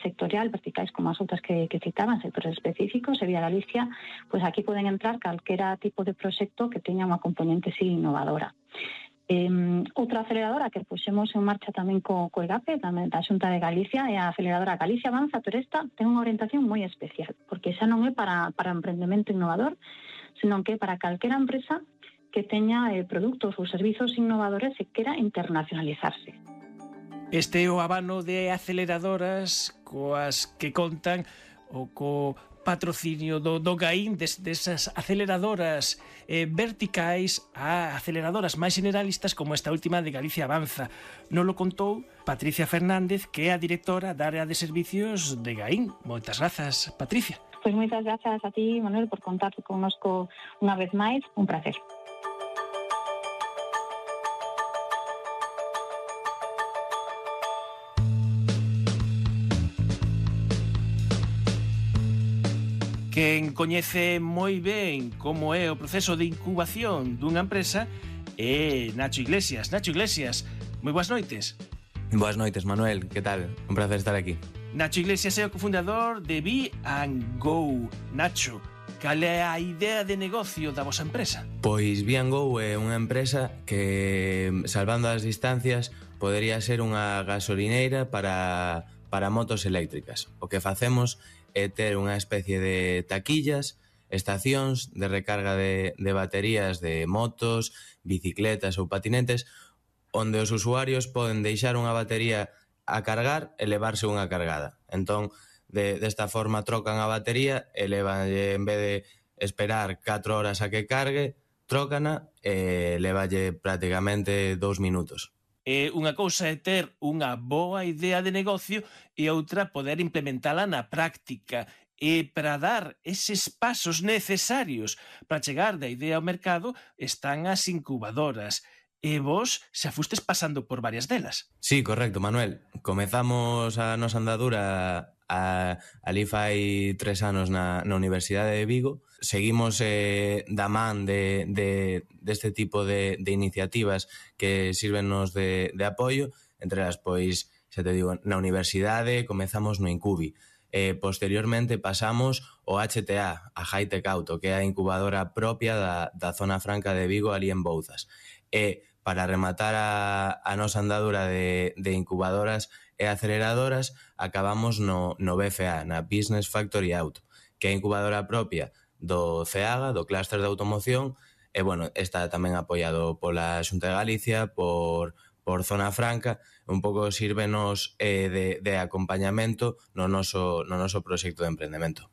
sectorial, verticais como as outras que citaban, sectores específicos, e Vía Galicia, pois aquí poden entrar calquera tipo de proxecto que teña unha componente innovadora. Outra aceleradora que puxemos en marcha tamén co EGAPE, tamén da Xunta de Galicia, é a aceleradora Galicia Avanza, pero esta ten unha orientación moi especial, porque xa non é para emprendemento innovador, senón que é para calquera empresa que teña produtos ou servizos innovadores e quera internacionalizarse. Este é o abano de aceleradoras coas que contan o co patrocinio do GAIN, desas aceleradoras verticais a aceleradoras máis generalistas como esta última de Galicia Avanza. Non lo contou Patricia Fernández, que é a directora da área de servicios de GAIN. Moitas grazas, Patricia. Pois moitas grazas a ti, Manuel, por contar connosco unha vez máis. Un placer. Quen coñece moi ben como é o proceso de incubación dunha empresa é Nacho Iglesias. Nacho Iglesias, moi boas noites. Boas noites, Manuel, que tal? Un placer estar aquí. Nacho Iglesias é o cofundador de Be&Go. Nacho, cal é a idea de negocio da vosa empresa? Pois Be&Go é unha empresa que, salvando as distancias, podería ser unha gasolineira para motos eléctricas. O que facemos é ter unha especie de taquillas, estacións de recarga de baterías de motos, bicicletas ou patinetes, onde os usuarios poden deixar unha batería a cargar e levarse unha cargada. Entón, desta forma trocan a batería e levanlle, en vez de esperar 4 horas a que cargue, trócana e levalle prácticamente 2 minutos. Unha cousa é ter unha boa idea de negocio e outra poder implementala na práctica. E para dar eses pasos necesarios para chegar da idea ao mercado están as incubadoras. E vos xa fustes pasando por varias delas. Sí, correcto, Manuel. Comezamos a nosa andadura ali fai 3 anos na Universidade de Vigo. Seguimos da man deste tipo de iniciativas que sirvennos de apoio. Entre as, pois, xa te digo, na universidade comezamos no Incubi. Posteriormente pasamos ao HTA, a Hightech Auto, que é a incubadora propia da Zona Franca de Vigo, ali en Bouzas. E para rematar a nosa andadura de incubadoras e aceleradoras, acabamos no BFA, na Business Factory Auto, que é a incubadora propia do CEAGA, do clúster de automoción, e, bueno, está tamén apoiado pola Xunta de Galicia, por Zona Franca, un pouco sírvenos de acompañamento no noso proxecto de emprendemento.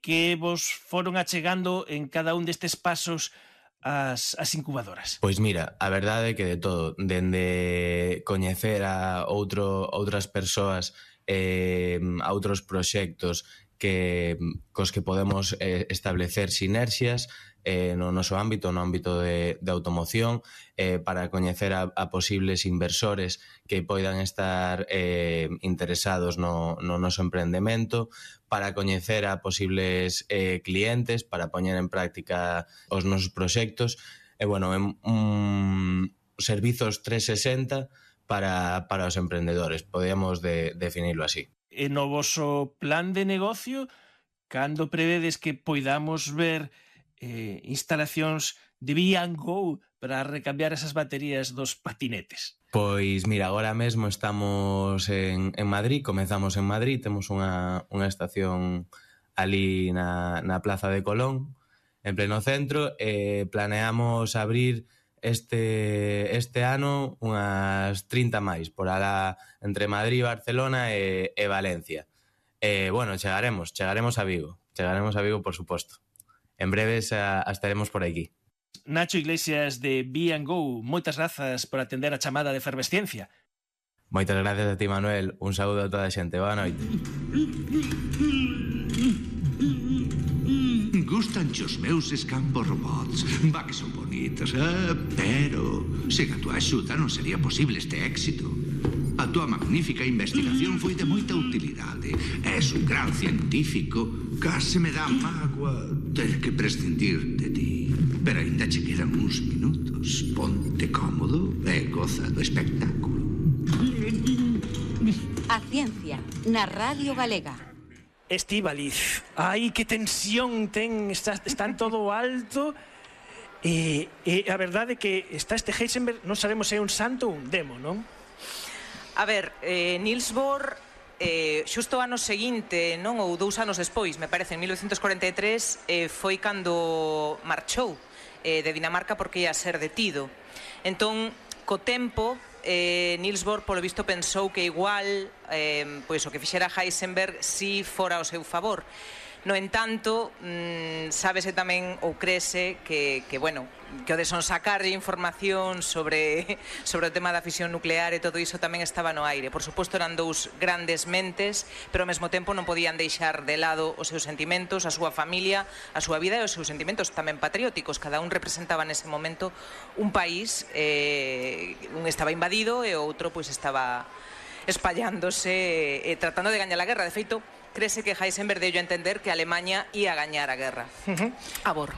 que vos foron achegando en cada un destes pasos as incubadoras? Pois mira, a verdade é que de todo, dende coñecer a outras persoas, a outros proxectos cos que podemos establecer sinerxias no noso ámbito, no ámbito de automoción, para coñecer a posibles inversores que poidan estar interesados no noso emprendemento, para coñecer a posibles clientes, para poñer en práctica os nosos proxectos, e, bueno, servizos 360 para os emprendedores, podemos definirlo así. E no voso plan de negocio, cando prevedes que poidamos ver instalacións de B&Go para recambiar esas baterías dos patinetes? Pois mira, agora mesmo estamos en Madrid, comezamos en Madrid, temos unha estación ali na Plaza de Colón, en pleno centro, e planeamos abrir este ano unhas 30 máis, por alá entre Madrid, Barcelona e Valencia. Bueno, chegaremos a Vigo, por suposto. En breves estaremos por aquí. Nacho Iglesias de B&Go, moitas grazas por atender a chamada de Efervesciencia. Moitas gracias a ti, Manuel. Un saúdo a toda a xente. Boa noite. Gustan os meus escampos robots. Va que son bonitos, pero sen a tua axuda non sería posible este éxito. A tua magnífica investigación foi de moita utilidade. És un gran científico. Case me dá mágoa ter que prescindir de ti. Pero ainda che quedan uns minutos. Ponte cómodo e goza do espectáculo. A ciencia, na Radio Galega. Estíbaliz, ai, que tensión ten, están todo alto. E a verdade é que está este Heisenberg, non sabemos se é un santo ou un demo, non? A ver, Niels Bohr, xusto o ano seguinte, non, ou 2 anos despois, me parece, en 1943, foi cando marchou de Dinamarca porque ia ser detido. Entón, co tempo, Niels Bohr, polo visto, pensou que igual pois o que fixera Heisenberg si fora ao seu favor. No entanto, sábese tamén, ou crese, que bueno, que o de sonsacar información sobre o tema da fisión nuclear e todo iso tamén estaba no aire. Por suposto, eran dous grandes mentes, pero ao mesmo tempo non podían deixar de lado os seus sentimentos, a súa familia, a súa vida e os seus sentimentos tamén patrióticos. Cada un representaba nese momento un país, un estaba invadido e o outro pois estaba espallándose, tratando de gañar a guerra. De feito, crese que Heisenberg deu a entender que Alemanha ia gañar a guerra. A Bohr.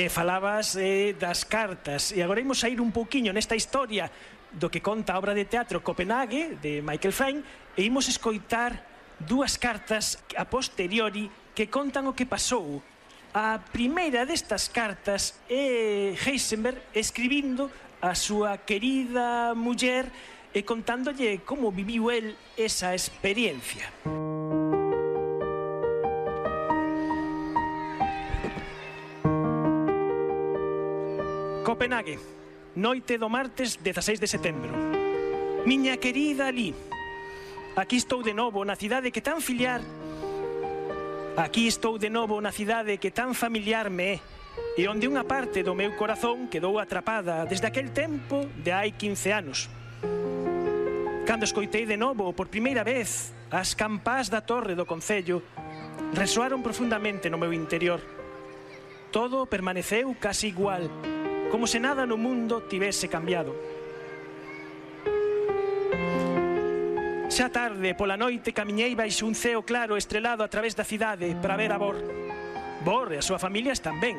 Falabas das cartas, e agora imos a ir un pouquiño nesta historia do que conta a obra de teatro Copenhague, de Michael Frayn, e imos escoitar 2 cartas a posteriori que contan o que pasou. A primeira destas cartas é Heisenberg escribindo a súa querida muller e contándolle como viviu el esa experiencia. Copenhague, noite do martes 16 de setembro. Miña querida Ali, aquí estou de novo na cidade que tan familiar me é, e onde unha parte do meu corazón quedou atrapada desde aquel tempo de hai 15 anos. Cando escoitei de novo por primeira vez as campás da torre do concello, resoaron profundamente no meu interior. Todo permaneceu casi igual, como se nada no mundo tivese cambiado. Xa tarde, pola noite, camiñei baixo un ceo claro estrelado a través da cidade para ver a Bohr. Bohr e a súa familia están ben.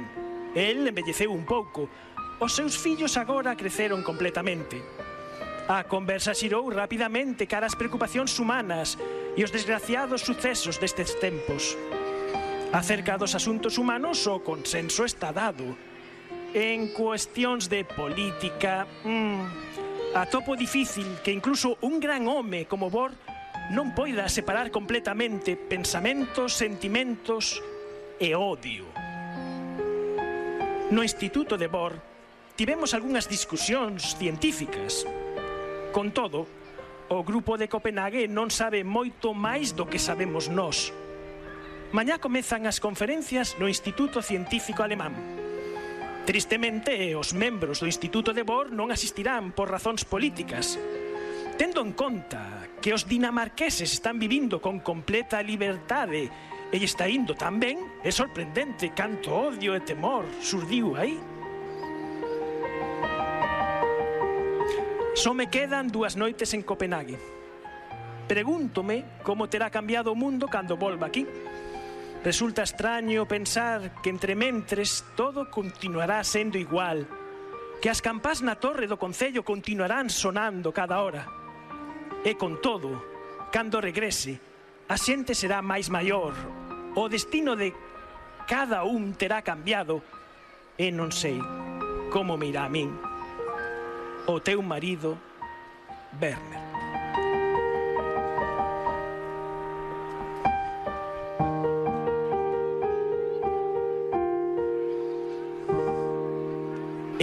El embelleceu un pouco. Os seus fillos agora creceron completamente. A conversa xirou rapidamente cara as preocupacións humanas e os desgraciados sucesos destes tempos. Acerca dos asuntos humanos, o consenso está dado. En cuestións de política, atopo difícil que incluso un gran home como Bohr non poida separar completamente pensamentos, sentimentos e odio. No Instituto de Bohr tivemos algunhas discusións científicas. Con todo, o grupo de Copenhague non sabe moito máis do que sabemos nós. Mañá comezan as conferencias no Instituto Científico Alemán. Tristemente, os membros do Instituto de Bohr non asistirán por razóns políticas. Tendo en conta que os dinamarqueses están vivindo con completa liberdade e está indo tan ben, é sorprendente canto odio e temor surdiu aí. Só me quedan 2 noites en Copenhague. Pregúntome como terá cambiado o mundo cando volva aquí. Resulta extraño pensar que entrementres todo continuará sendo igual, que as campás na torre do concello continuarán sonando cada hora. E con todo, cando regrese, a xente será máis maior, o destino de cada un terá cambiado e non sei como me irá a min. O teu marido, Werner.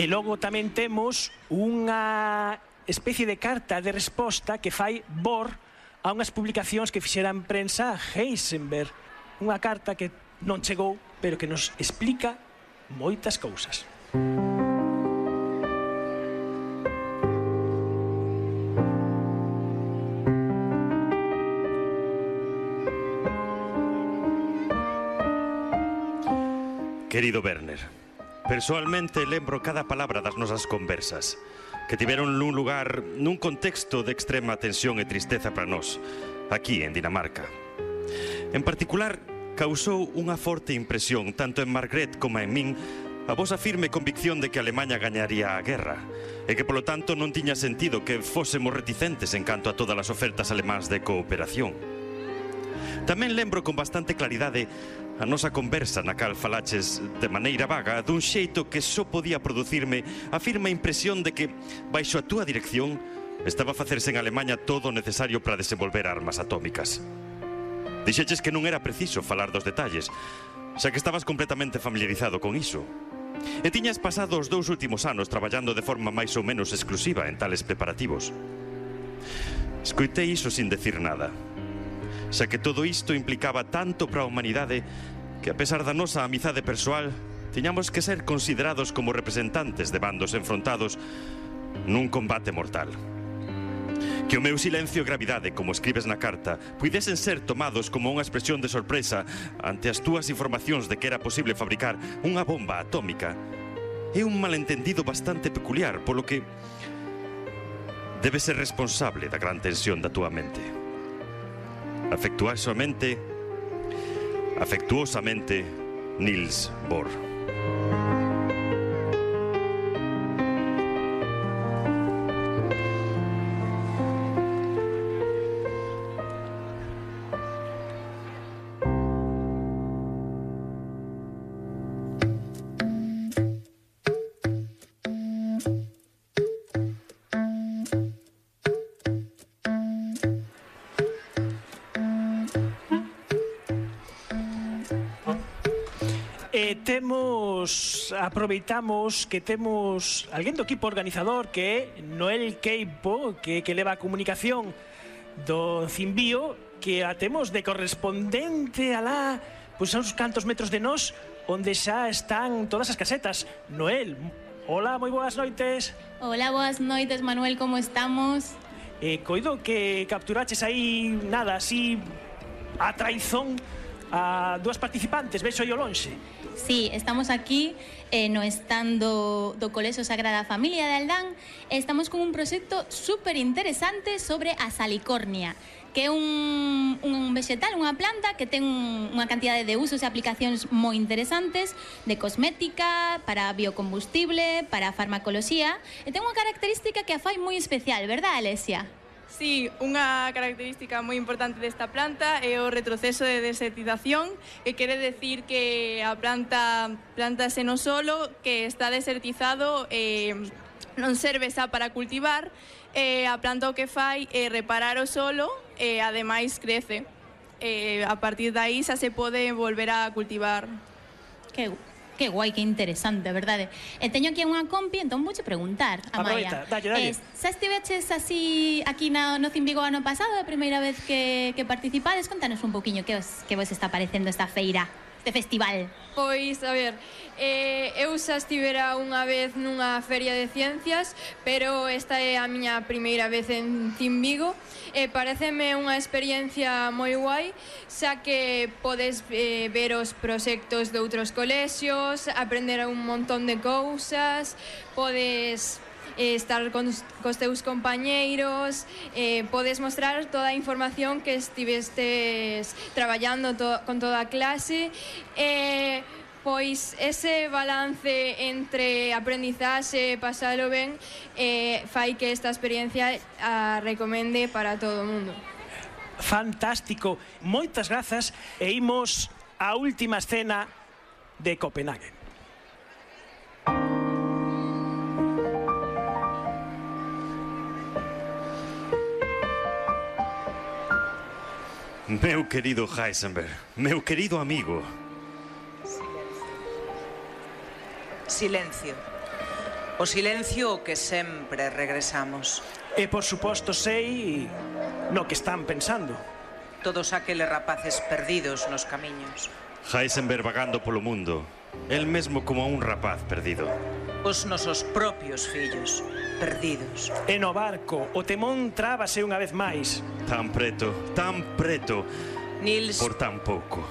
E logo tamén temos unha especie de carta de resposta que fai Bohr a unhas publicacións que fixera en prensa Heisenberg. Unha carta que non chegou, pero que nos explica moitas cousas. Querido Werner, persoalmente lembro cada palabra das nosas conversas, que tiveron nun lugar, nun contexto de extrema tensión e tristeza para nós, aquí en Dinamarca. En particular, causou unha forte impresión, tanto en Margrethe como en min, a vosa firme convicción de que Alemanha gañaría a guerra, e que, polo tanto, non tiña sentido que fósemos reticentes en canto a todas as ofertas alemáns de cooperación. Tamén lembro con bastante claridade a nosa conversa na cal falaches de maneira vaga dun xeito que só podía producirme a firme impresión de que, baixo a túa dirección, estaba a facerse en Alemanha todo o necesario para desenvolver armas atómicas. Dixeches que non era preciso falar dos detalles, xa que estabas completamente familiarizado con iso. E tiñas pasado os 2 últimos anos traballando de forma máis ou menos exclusiva en tales preparativos. Escoitei iso sin decir nada, xa que todo isto implicaba tanto para a humanidade que, a pesar da nosa amizade persoal, tiñamos que ser considerados como representantes de bandos enfrontados nun combate mortal. Que o meu silencio e gravidade, como escribes na carta, puidesen ser tomados como unha expresión de sorpresa ante as túas informacións de que era posible fabricar unha bomba atómica é un malentendido bastante peculiar, polo que debes ser responsable da gran tensión da túa mente. Afectuosamente, Niels Bohr. Aproveitamos que temos alguén do equipo organizador que é Noel Queipo, que leva a comunicación do Cimbío, que a temos de correspondente alá, pois a uns cantos metros de nós, onde xa están todas as casetas. Noel, hola, moi boas noites. Hola, boas noites, Manuel, como estamos? Coido que capturaches aí, nada, así, a traizón a 2 participantes, vexo aí ao lonxe. Sí, estamos aquí no stand do Colexio Sagrada Familia de Aldán e estamos con un proxecto super interesante sobre a salicornia, que é un vegetal, unha planta que ten unha cantidade de usos e aplicacións moi interesantes, de cosmética, para biocombustible, para farmacoloxía, e ten unha característica que a fai moi especial, verdad, Alesia? Sí, unha característica moi importante desta planta é o retroceso de desertización, que quere decir que a plantase no solo, que está desertizado, non serve xa para cultivar, a planta o que fai é reparar o solo e ademais crece. A partir de aí xa se pode volver a cultivar. Que Que guai, que interesante, verdade? E teño aquí unha compi, entón vouche preguntar, Amaia. Dalle. Xa estiveches así aquí no Cimbigo ano pasado, a primeira vez que participades? Contanos un poquinho que vos está parecendo esta feira, este festival. Pois, a ver, eu xa estivera unha vez nunha feria de ciencias, pero esta é a miña primeira vez en Cimbigo e pareceme unha experiencia moi guai, xa que podes ver os proxectos de outros colexios, aprender un montón de cousas, podes estar cos teus compañeiros, podes mostrar toda a información que estivestes traballando con toda a clase, pois ese balance entre aprendizaxe e pasalo ben fai que esta experiencia a recomende para todo o mundo. Fantástico, moitas grazas e imos á última escena de Copenhague. Meu querido Heisenberg, meu querido amigo. Silencio. O silencio ao que sempre regresamos. E por suposto sei no que están pensando. Todos aqueles rapaces perdidos nos camiños. Heisenberg vagando polo mundo, el mesmo como un rapaz perdido. Os nosos propios fillos, perdidos. E no barco, o temón trábase unha vez máis. Tan preto, Nils... por tan pouco.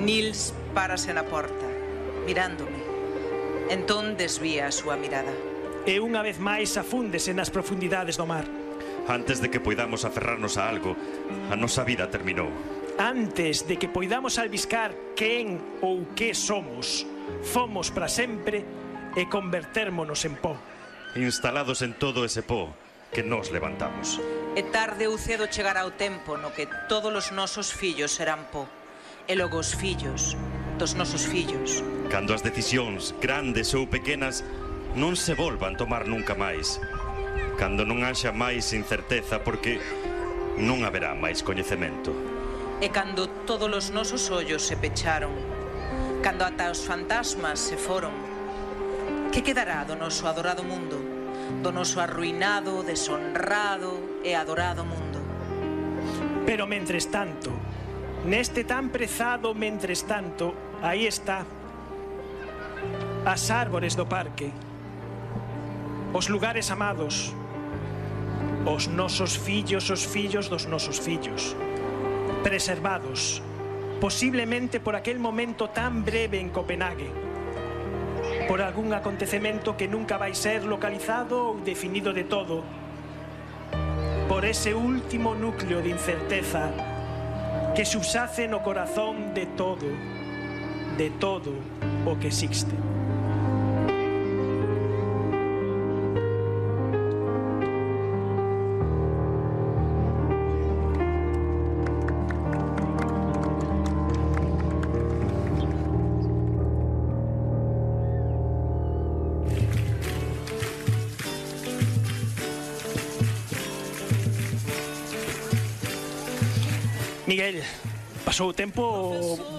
Nils párase na porta, mirándome. Entón desvía a súa mirada. E unha vez máis afúndese nas profundidades do mar. Antes de que poidamos aferrarnos a algo, a nosa vida terminou. Antes de que poidamos albiscar quen ou que somos, fomos para sempre e convertérmonos en pó. Instalados en todo ese pó que nos levantamos. E tarde ou cedo chegará o tempo no que todos os nosos fillos serán pó. E logo os fillos dos nosos fillos. Cando as decisións, grandes ou pequenas, non se volvan tomar nunca máis. Cando non haxa máis incerteza porque non haberá máis coñecemento. E cando todos os nosos ollos se pecharon, cando ata os fantasmas se foron, que quedará do noso adorado mundo, do noso arruinado, deshonrado e adorado mundo? Pero mentres tanto, neste tan prezado mentres tanto, aí está, as árbores do parque, os lugares amados, os nosos fillos, os fillos dos nosos fillos, preservados, posiblemente por aquel momento tan breve en Copenhague, por algún acontecemento que nunca vai ser localizado ou definido de todo, por ese último núcleo de incerteza que subsace no corazón de todo o que existe. Miguel, pasou o tempo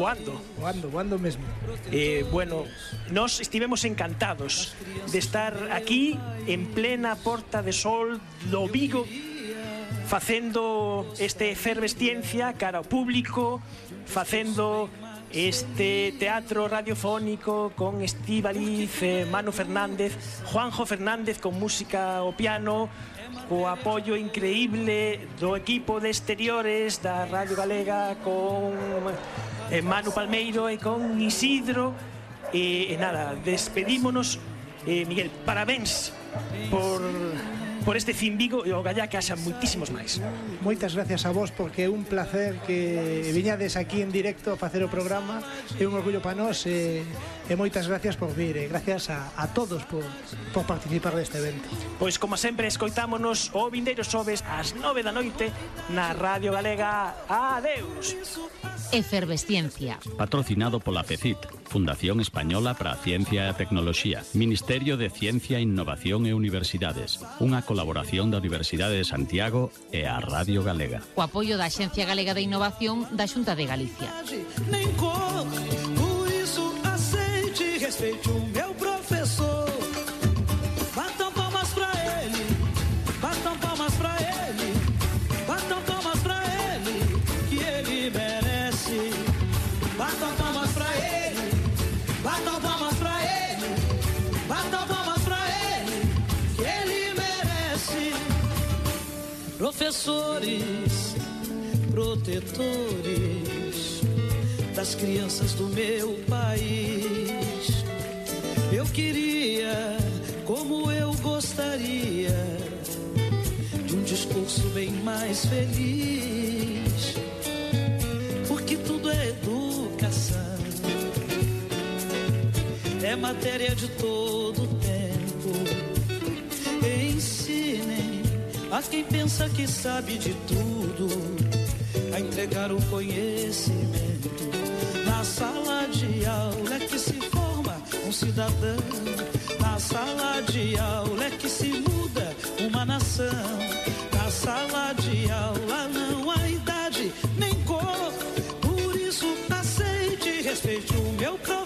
voando mesmo. Bueno, nós estivemos encantados de estar aquí en plena Porta de Sol do Vigo, facendo este efervesciencia cara ao público, facendo este teatro radiofónico con Estíbaliz, Manu Fernández, Juanjo Fernández con música ao piano, co apoio increíble do equipo de exteriores da Radio Galega con Manu Palmeiro e con Isidro e nada, despedímonos. Miguel, parabéns por este Cimbigo e o gallá que haxa moitísimos máis. Moitas gracias a vos porque é un placer que viñades aquí en directo a facer o programa, é un orgullo para nós e moitas gracias por vir e gracias a todos por participar deste evento. Pois como sempre escoitámonos o vindeiro xoves ás 9 da noite na Radio Galega. Adeus. Efervesciencia. Patrocinado pola FECIT, Fundación Española para a Ciencia e a Tecnoloxía, Ministerio de Ciencia, Innovación e Universidades, unha colaboración da Universidade de Santiago e a Radio Galega. O apoio da Axencia Galega de Innovación da Xunta de Galicia. Batam palmas pra ele, batam palmas pra ele, batam palmas pra ele, que ele merece. Professores, protetores das crianças do meu país, eu queria, como eu gostaria, de um discurso bem mais feliz, porque tudo é educação, é matéria de todo tempo. Ensinem a quem pensa que sabe de tudo a entregar o conhecimento. Na sala de aula é que se forma um cidadão, na sala de aula é que se muda uma nação. Na sala de aula não há idade nem cor, por isso aceite e respeite o meu próprio.